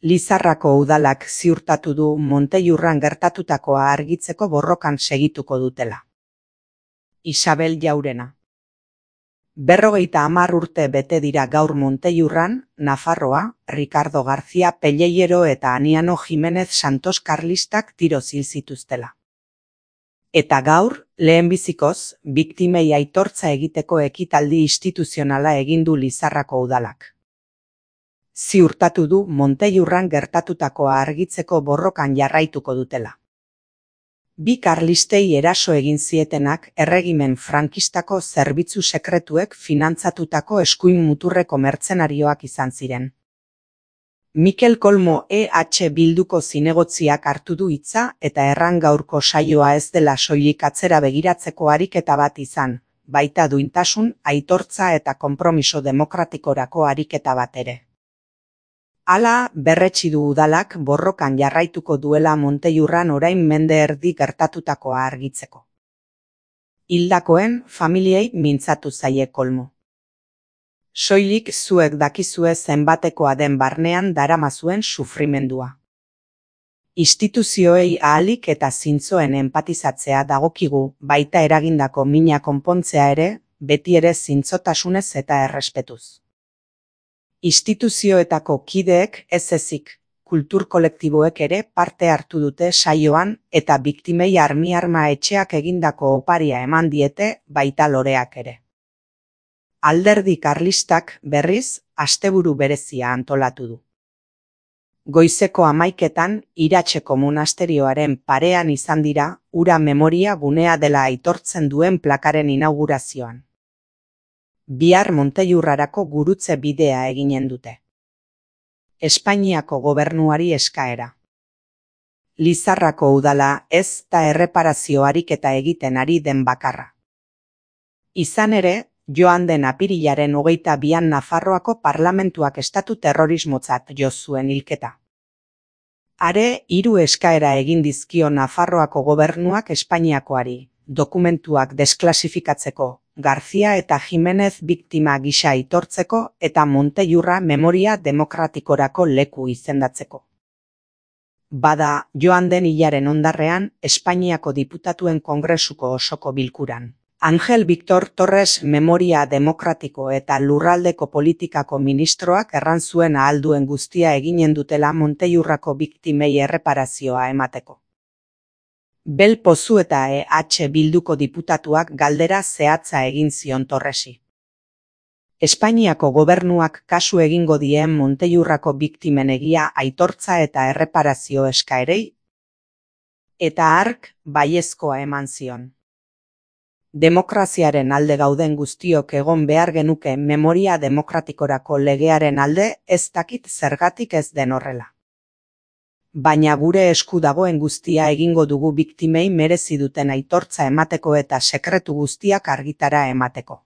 Lizarrako udalak ziurtatu du Montellurran gertatutakoa argitzeko borrokan segituko dutela. Isabel Jaurena. 50 urte bete dira gaur Montellurran, Nafarroa, Ricardo García Pellejero eta Aniano Jimenez Santos karlistak tiroz hil zituztela. Eta gaur, lehenbizikoz, biktimei aitortza egiteko ekitaldi instituzionala egin du Lizarrako udalak. Ziurtatu du Montellurran gertatutakoa argitzeko borrokan jarraituko dutela. Bi karlistei eraso egin zietenak erregimen frankistako zerbitzu sekretuek finantzatutako eskuin muturreko mertzenarioak izan ziren. Mikel Kolmo EH Bilduko zinegotziak hartu du hitza eta erran gaurko saioa ez dela soilik atzera begiratzeko ariketa bat izan, baita duintasun, aitortza eta konpromiso demokratikorako ariketa bat ere. Hala, berretsi du udalak borrokan jarraituko duela Montellurran orain mende erdi gertatutakoa argitzeko. Hildakoen familiei mintzatu zaie Kolmo. Soilik zuek dakizue zenbatekoa den barnean daramazuen sufrimendua. Instituzioei ahalik eta zintzoen enpatizatzea dagokigu, baita eragindako mina konpontzea ere, beti ere zintzotasunez eta errespetuz. Instituzioetako kideek ez ezik, kultur kolektiboek ere parte hartu dute saioan eta biktimei arma etxeak egindako oparia eman diete baita loreak ere. Alderdi karlistak berriz asteburu berezia antolatu du. Goizeko 11etan Iratzeko monasterioaren parean izan dira hura memoria gunea dela aitortzen duen plakaren inaugurazioan. Bihar Montellurrarako gurutze bidea eginen dute. Espainiako gobernuari eskaera. Lizarrako udala ez da erreparazio ariketa egiten ari den bakarra. Izan ere, joan den apirilaren 22an Nafarroako parlamentuak estatu terrorismotzat jo zuen hilketa. Are, 3 eskaera egin dizkio Nafarroako gobernuak Espainiakoari, dokumentuak desklasifikatzeko, García eta Jimenez biktima gisa aitortzeko eta Montellurra memoria demokratikorako leku izendatzeko. Bada, joan den hilaren ondarrean, Espainiako diputatuen kongresuko osoko bilkuran. Ángel Víctor Torres memoria demokratiko eta lurraldeko politikako ministroak erran zuen ahal duen guztia eginen dutela Montellurrako biktimei erreparazioa emateko. Bel Pozu eta EH Bilduko diputatuak galdera zehatza egin zion Torresi. Espainiako gobernuak kasu egingo dien Montellurrako biktimen egia aitortza eta erreparazio eskaerei? Eta hark baiezkoa eman zion. Demokraziaren alde gauden guztiok egon behar genuke memoria demokratikorako legearen alde ez dakit zergatik ez den horrela. Baina gure esku dagoen guztia egingo dugu biktimei merezi duten aitortza emateko eta sekretu guztiak argitara emateko.